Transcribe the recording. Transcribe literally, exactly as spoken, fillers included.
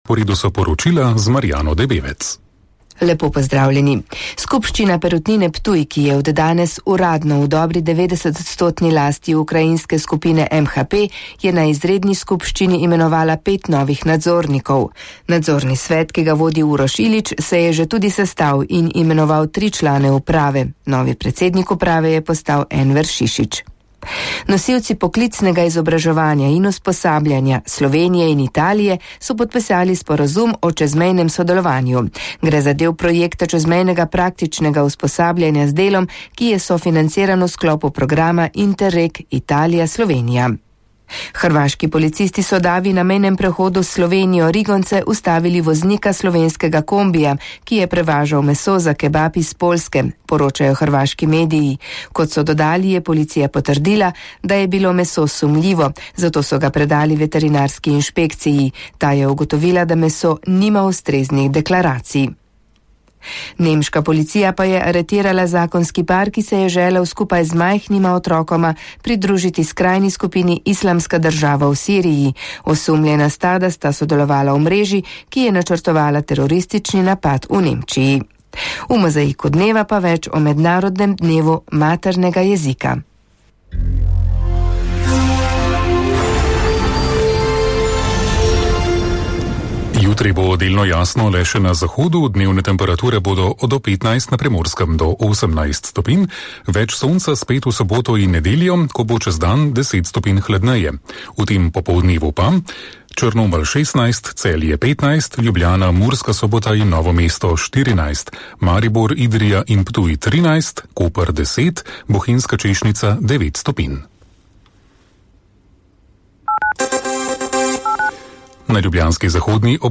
Po redu so poročila z Marjano Debevec. Lepo pozdravljeni. Skupščina Perutnine Ptuj, ki je od danes uradno v dobri devetdesetodstotni lasti ukrajinske skupine M H P, je na izredni skupščini imenovala pet novih nadzornikov. Nadzorni svet, ki ga vodi Uroš Ilić, se je že tudi sestal in imenoval tri člane uprave. Novi predsednik uprave je postal Enver Šišić. Nosilci poklicnega izobraževanja in usposabljanja Slovenije in Italije so podpisali sporazum o čezmejnem sodelovanju. Gre za del projekta čezmejnega praktičnega usposabljanja z delom, ki je sofinanciran v sklopu programa Interreg Italija-Slovenija. Hrvaški policisti so davi na mejnem prehodu s Slovenijo Rigonce ustavili voznika slovenskega kombija, ki je prevažal meso za kebab iz Poljske, poročajo hrvaški mediji. Kot so dodali, je policija potrdila, da je bilo meso sumljivo, zato so ga predali veterinarski inšpekciji. Ta je ugotovila, da meso nima ustreznih deklaracij. Nemška policija pa je aretirala zakonski par, ki se je želel skupaj z majhnima otrokoma pridružiti skrajni skupini Islamska država v Siriji. Osumljena sta, da sta sodelovala v mreži, ki je načrtovala teroristični napad v Nemčiji. V mozaiku dneva pa več o mednarodnem dnevu maternega jezika. Jutri bo delno jasno le še na zahodu, dnevne temperature bodo od petnajst na Primorskem do osemnajst stopinj, več sonca spet v soboto in nedeljo, ko bo čez dan deset stopinj hladneje. V tem popoldnevu pa Črnomelj šestnajst, Celje petnajst, Ljubljana, Murska Sobota in Novo mesto štirinajst, Maribor, Idrija in Ptuj trinajst, Koper deset, Bohinjska Češnica devet stopinj. Na ljubljanski zahodni obvoznici